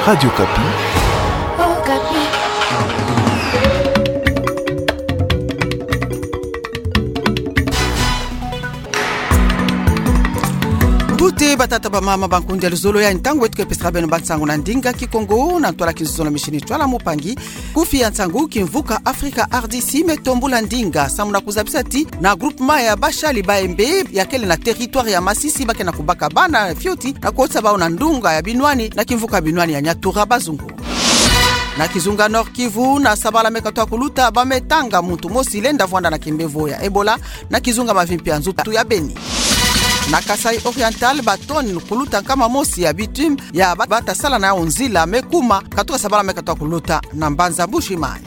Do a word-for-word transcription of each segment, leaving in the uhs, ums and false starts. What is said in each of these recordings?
Radio Okapi. Mbuta, batata, bamama, bankundi ya luzolo, ya ntangu beto ke pesaka beno bansangu na ndinga Kikongo, na ntwala Kinzonzolo, misioni Ntwala Mpangi. Kufi ya nsangu: Kimvuka Afrika R D C me tombula ndinga samu na kuzabisa ti na groupement ya Bashali Kayembe, ya kele na territoire ya Masisi, ba ke na kubaka bana fioti na kukotisa bau na ndonga ya binwani na kimvuka binwani ya Nyatura Bazungu. Na kizunga Nord-Kivu, na sabala me katoa kuluta, ba me tanga muntu mosi lenda vwanda na kimbevo ya Ebola na kizunga mavimpi ya nzutu ya Beni. Na Kasaï Oriental, ba tonnes kuluta nkama mosi ya bitume ya ba-, bata sala na yau nzila me kuma katuka sabala me katoa kuluta na mbanza Mbuji-Mayi.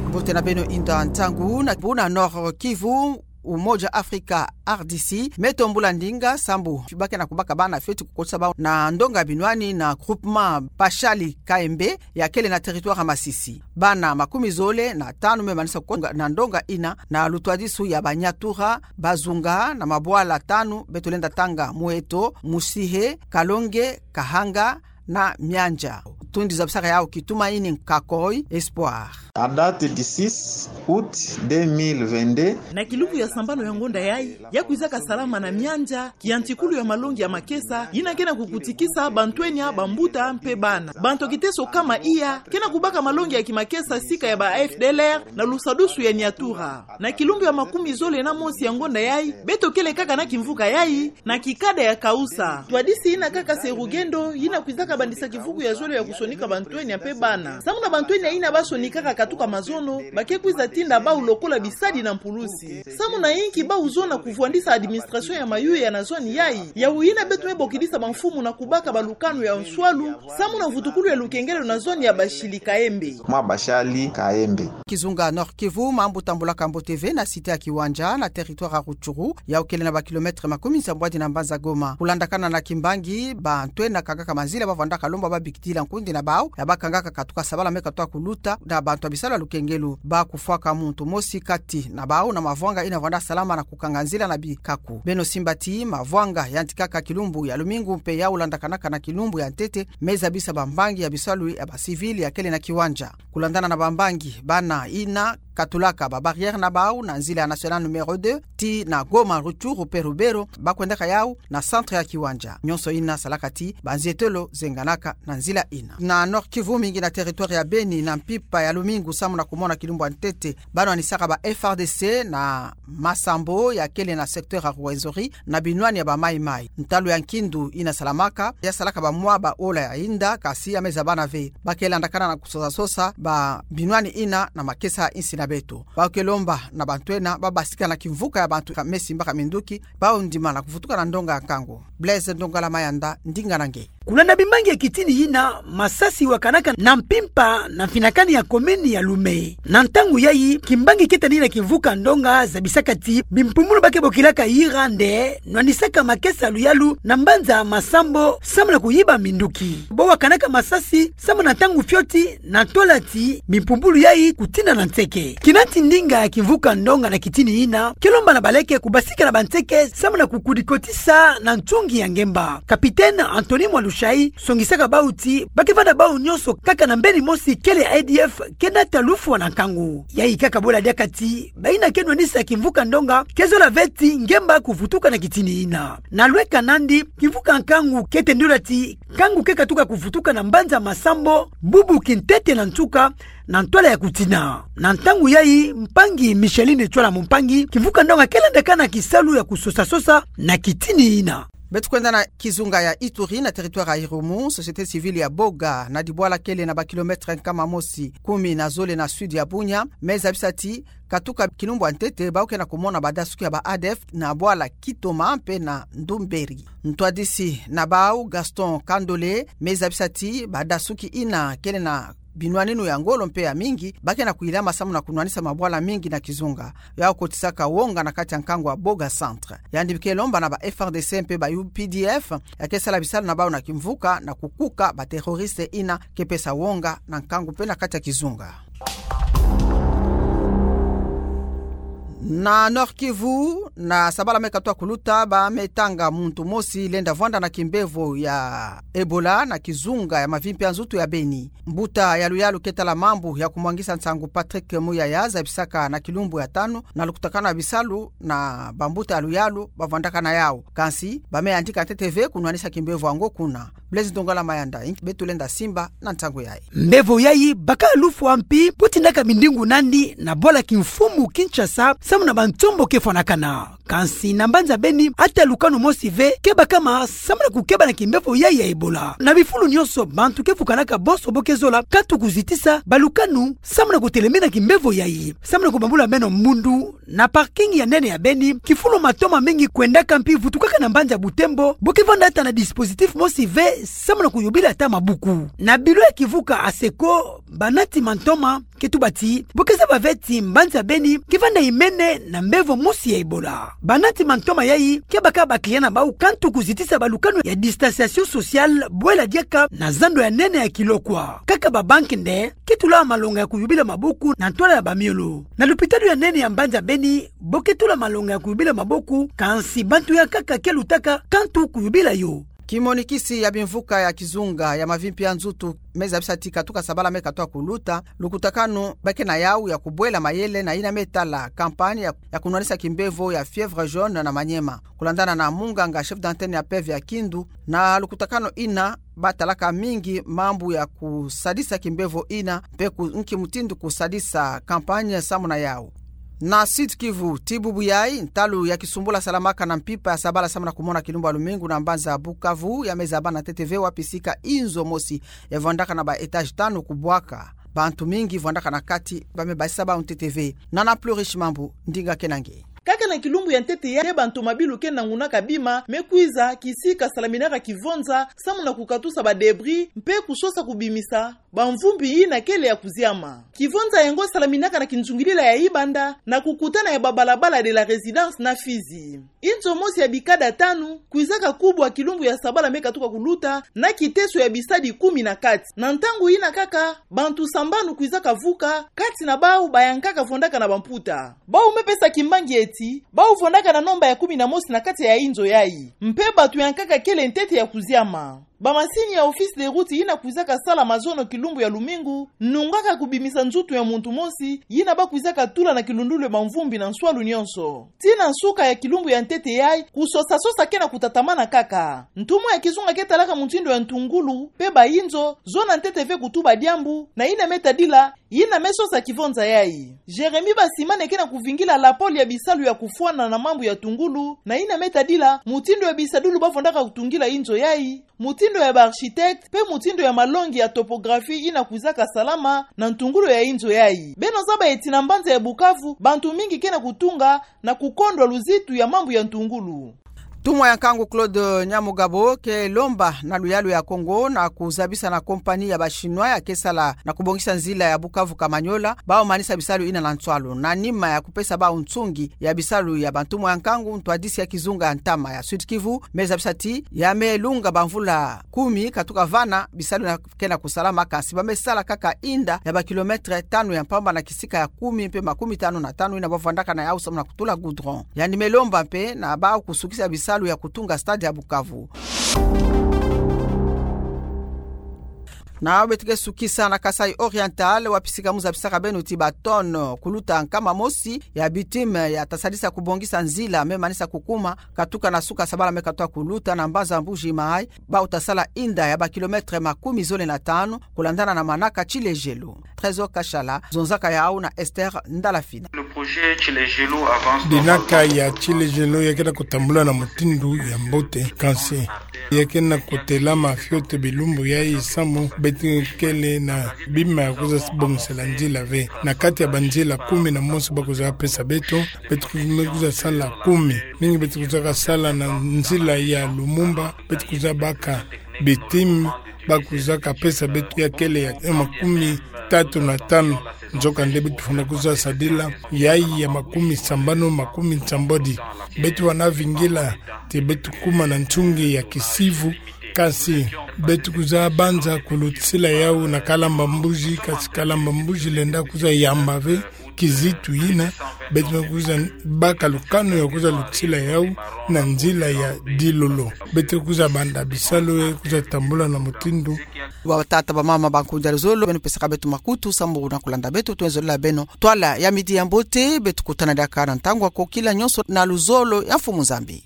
Mbote na beno, inda nsangu na buna. Nord-Kivu, Umoja Afrika R D C me tombula ndinga sambu ba ke na kubaka bana fioti kukotisa bau na ndonga binwani na groupement Bashali Kayembe, ya kele na territoire ya Masisi. Bana makumi zole na tanu me manisa kukonga na ndonga ina na lutwadisu ya Banyatura Bazunga na mabwala tanu, beto lenda tanga Muheto, Musihe, Kalonge, Kahanga na Miandja. Tundi zabisaka yau kitumaini Kakoi Espoir. À date du six août deux mille vingt-deux. Na kilumbu ya sambanu ya ngonda yayi, ya kwizaka salama na Miandja, kiantikulu ya malongi ya makesa, yina ke na kukutikisa bantwenia, bambuta mpe bana. Bantu ya kiteso kama iya ke na kubaka malongi ya kimakesa sika ya ba F D L R na lusadusu ya Nyatura. Na kilumbu ya makumi zole na mosi ya ngonda yayi, beto kele kaka na kimvuka yayi, na kikada ya Kaoussa. Ntwadisi yina kaka se rugendo, yina kwizaka bandisa kivuku ya zole ya kusonika bantwenia mpe bana. Samu na bantwenia yina ba sonikaka katuka mazono, ba ke kwiza tinda bau lokola bisadi na mpulusi. Samu na inki bau zona kuvwandisa administration ya mayuya na zone yayi, yau yina beto me bokidisa bamfumu na kubaka balukanu ya nswalu samu na mvutukulu ya lukengelo na zone ya Bashali Kayembe. Mwa Bashali Kayembe. Kizunga Nord-Kivu, mambu tambulaka mbote ve na cité ya Kiwanja na territoire ya Rutshuru, yau kele na ba kilomètre makumi nsambwadi na mbanza Goma. Kulandakana na kimbangi, bantwenia kangaka manzila ba vwandaka lomba babikidila nkundi na bau ya ba kangaka katuka sabala me katoa kuluta na bantu ya bisalu ya lukengelo, ba kufwaka muntu mosi kati na bau na mavwanga yina vwanda salama na kukanga nzila na bikaku. Beno simba ti mavwanga yantikaka kilumbu ya lumingu mpe yau landakanaka na kilumbu ya ntete, me zabisa bambangi ya bisalu ya ba civil ya kele na Kiwanja. Kulandana na bambangi, bana yina katulaka ba barrière na bau na nzila ya nationale numéro deux, tii na Goma, Rutshuru mpe Lubero, ba kwendaka yau na centre ya Kiwanja. Nyonso yina salaka ti banzietelo zenganaka na nzila yina. Na Nord-Kivu, mingi na territoire ya Beni, na mpimpa ya lumingu samu na kumona kilumbu ya ntete, ba nwanisaka ba F A R D C na Masambo ya kele na secteur ya Rwenzori na binwani ya ba Maï-Maï. Ntalu ya nkindu yina salamaka, ya salaka ba mwa ba ola ya yinda, kasi ya me zabana ve. Ba ke landakana na kusosa-sosa ba binwani yina na makesa ya insi na beto. Ba ke lomba na bantwenia ba basika na kimvuka ya bantu ka me simbaka minduki, bau ndimana kuvutuka na ndonga ya nkangu. Blaise Ndongala Mayanda, ndinga na nge. Kulanda bimbangi ya kitini yina, masasi wakanaka na mpimpa na mfinakani ya commune ya Loume. Na ntangu yayi, kimbangi ketani na kimvuka ndonga zabisaka ti bimpumbulu ba ke bokilaka yira nde nwanisaka makesa ya luyalu na mbanza Masambo samu na kuyiba minduki. Bo wakanaka masasi samu na ntangu fioti, na tola ti bimpumbulu yayi kutina na nseke. Kina ti ndinga ya kimvuka ndonga na kitini yina ke lomba na baleke kubasika na banseke samu na kukudikotisa na nsungi ya ngemba. Capitaine Anthony Mwalushayi songisaka bau ti ba ke vanda bau nyonso kaka na mbeni mosi kele A D F ke nata lufwa na nkangu. Yayi kaka bola diaka ti bayina ke nwanisa kimvuka ndonga ke zola ve ti ngemba kuvutuka na kitini yina. Na lweka nandi, kimvuka nkangu ke tendula ti nkangu ke katuka kuvutuka na mbanza Masambo, bubu kintete na nsuka, na ntwala ya kutina. Na ntangu yayi, mpangi Micheline Tshwala Mumpangi, kimvuka ndonga ke landakana kisalu ya kusosa-sosa na kitini yina. Beto kwenda na kizunga ya Ituri, na territoire ya Irumu, société civile ya Boga, na dibwala kele na ba kilomètre nkama mosi kumi na zole na sud ya Bunia, me zabisa ti katuka kilumbu ya ntete, bau ke na kumona badasuki ya ba A D F na bwala Kitoma mpe na Ndumberi. Ntwadisi na bau, Gaston Kandole, me zabisa ti badasuki yina kele na binwaninu ya ngolo mpe ya mingi, ba ke na kuyilama samu na kunwanisa mabwala mingi na kizunga. Yau kotisaka wonga na kati ya nkangu ya Boga Centre. Yandi ke lomba na ba F A R D C mpe ba U P D F ya ke sala bisalu na bau na kimvuka na kukuka ba terroriste yina ke pesa wonga na nkangu mpe na kati ya kizunga. Na Nord-Kivu, na sabala me katoa kuluta, ba me tanga muntu mosi lenda vwanda na kimbevo ya Ebola na kizunga ya mavimpi ya nzutu ya Beni. Mbuta ya luyalu ke tala mambu ya kumwangisa nsangu Patrick Muyaya zabisaka na kilumbu ya tanu na lukutakanu ya bisalu na bambuta ya luyalu bavwandaka na yau. Kansi, ba me yandika ntete ve kunwanisa kimbevo yango kuna. Blaise Ndongala Mayanda, inki beto lenda simba na nsangu yayi. Mbevo yayi, baka lufwa mpi, butindaka mindingu nandi, na bwala kimfumu Kinshasa, samu na bantombo ke fwanakana. Kansi na mbanza Beni, ata lukanu mosi ve, ke bakama, samu na kukeba na kimbevo yayi ya Ebola. Na bifulu nyonso, bantu ke vukanaka bonso bo ke zola, katu kuzitisa, balukanu, samu na kutelemena kimbevo yayi. Samu na kubambula meno mbundu, na parking ya nene ya Beni, kifulu matoma mingi kwendaka mpi vutukaka na mbanza Butembo, bo ke vwanda ata na dispositif mosi ve, samu na kuyubila ata mabuku. Na bilo ya kivuka Asseco, banati mantoma, ke tuba ti, bo ke zaba ve ti mbanza Beni, ke vwanda imene na mbevo mosi ya Ebola. Banati mantoma yayi, ke baka ba client na bau katu kuzitisa balukanu ya distanciation sociale, bwela diaka na zando ya nene ya Kilokwa. Kaka ba banque nde, ke tula malonga ya kuyubila maboko na ntwala ya bamiolo. Na lupitalu ya nene ya mbanza Beni, bo ke tula malonga ya kuyubila maboko, kansi bantu ya nkaka ke lutaka katu kuyubila yo. Kimonikisi ya bimvuka ya kizunga ya mavimpi ya nzutu me zabisa ti katuka sabala me katoa kuluta, lukutakanu ba ke na yau ya kubwela mayele na yina me tala campagne ya, ya kunwanisa kimbevo ya fièvre jaune na Maniema. Kulandana na munganga chef d'antenne ya PEV ya Kindu, na lukutakanu yina, batalaka mingi mambu ya kusadisa kimbevo yina, mpe ku, nki mutindu kusadisa campagne samu na yau. Na Sud-Kivu, ti bubu yayi, ntalu ya kisumbula salamaka na mpimpa ya sabala samu na kumona kilumbu ya lumingu na mbanza Bukavu, ya me zaba na ntete ve wapi sika inzo mosi ya vwandaka na ba étage tanu kubwaka. Bantu mingi vwandaka na kati, ba me basisa bau ntete ve. Nana Plus Riche Mambu, ndinga ke na nge. Kaka na kilumbu ya ntete yayi, bantu mabilu ke nangunaka bima me kwiza kisika salaminaka kivonza, samu na kukatusa ba débris, mpe kusosa kubimisa bamvumbi yina kele ya kuziama. Kivonza yango salaminaka na kinzungilila ya Ibanda, na kukutana ya ba balabala de la Résidence na Fizi. Inzo mosi ya bikada tanu kwizaka kubwa kilumbu ya sabala me katuka kuluta, na kiteso ya bisadi kumi na kati. Na ntangu yina kaka, bantu sambanu kwizaka vuka, kati na bau bayankaka vwandaka na bamputa. Bau me pesa kimbangi ti, bau vwandaka na nomba ya kumi na mosi na kati ya inzo yayi. Mpe bantu yankaka kele ntete ya kuziama. Bamasini ya Office des Routes yina kwizaka sala mazono kilumbu ya lumingu, nungaka kubimisa nzutu ya muntu mosi, yina ba kwizaka tula na kilundulu ya bamvumbi na nswalu nyonso. Tii na nsuka ya kilumbu ya ntete yayi, kusosa-sosa ke na kutatamana kaka. Ntumwa ya kizunga ke talaka mutindu ya ntungulu, mpe ba inzo, zona ntete ve kutuba diambu, na yina me tadila, yina me sosa kivonza yayi. Jérémie Basimane ke na kuvingila la pôle ya bisalu ya kufwana na mambu ya ntungulu, na yina me tadila, mutindu ya bisadulu ba vwandaka kutungila inzo yayi, mutindu ya ba architecte, mpe mutindu ya malongi ya topographie yina kwizaka salama na ntungulu ya inzo yayi. Beno zaba ti na mbanza ya Bukavu, bantu mingi ke na kutunga, na kukondwa luzitu ya mambu ya ntungulu. Ntumwa ya nkangu Claude Nyamugabo ke lomba na luyalu ya Kongo na kuzabisa na compagnie ya ba Chinois ya ke sala na kubongisa nzila ya Bukavu Kamanyola, bau manisa bisalu yina na nswalu. Na nima ya kupesa bau nsungi ya bisalu ya bantumwa ya nkangu, ntwadisi ya kizunga ya ntama ya Sud-Kivu me zabisa ti, ya me lunga bamvula kumi katuka vana, bisalu yina ke na kusalama, kansi ba me sala kaka inda ya ba kilomètre tanu ya mpamba na kisika ya kumi mpe makumi tanu na tanu yina ba vwandaka na yau samu na kutula goudron. Yandi me lomba mpe na bau kusukisa bisalu ya kutunga stade ya Bukavu. Na beto ke sukisa na Kasaï Oriental, wapi sika mu zabisaka beno ti ba tonne kuluta nkama mosi ya bitume ya ta sadisa kubongisa nzila me manisa kukuma, katuka na suka sabala me katoa kuluta na mbanza Mbuji-Mayi, bau ta sala inda ya ba kilomètre makumi zole na tanu, kulandana na manaka Tsilejelo. Trésor Kashala zonzaka yau na Esther Ndalafina. Le projet Tsilejelo avance normalement. Dinaka ya Tsilejelo ya ke na kutambula na mutindu ya mbote, kansi ya ke na kutelama fioti bilumbu yayi samu beto kele na bima ya kwiza bongisela nzila ve. Na kati ya banzila kumi na mosi ba kwiza pesa beto, beto kwiza sala kumi. Mingi beto kwizaka sala na nzila ya Lumumba, beto kwiza baka bitume, ba kwizaka pesa beto ya kele ya makumi tatu na tanu. Nzokande beto fwana kwiza sadila yayi ya makumi sambanu, makumi nsambwadi. Beto fwana vingila ti beto kuma na nsungi ya kisivu, kansi beto kwiza banza kulutisila yau na Kalamba Mbuji, kansi Kalamba Mbuji lenda kwiza yamba ve. kizitu yina, beto me kwiza baka lukanu ya kwiza lutila yau na nzila ya dilolo. Beto kwiza banda bisalu ya kwiza tambula na mutindu. Batata, bamama, bankundi ya luzolo, beno pesaka beto makutu, samburu na kulanda beto, twenzolele beno twala ya midi ya mbote, beto kutana diaka na ntangu ako kila nyonso na luzolo ya Mfumu Nzambi.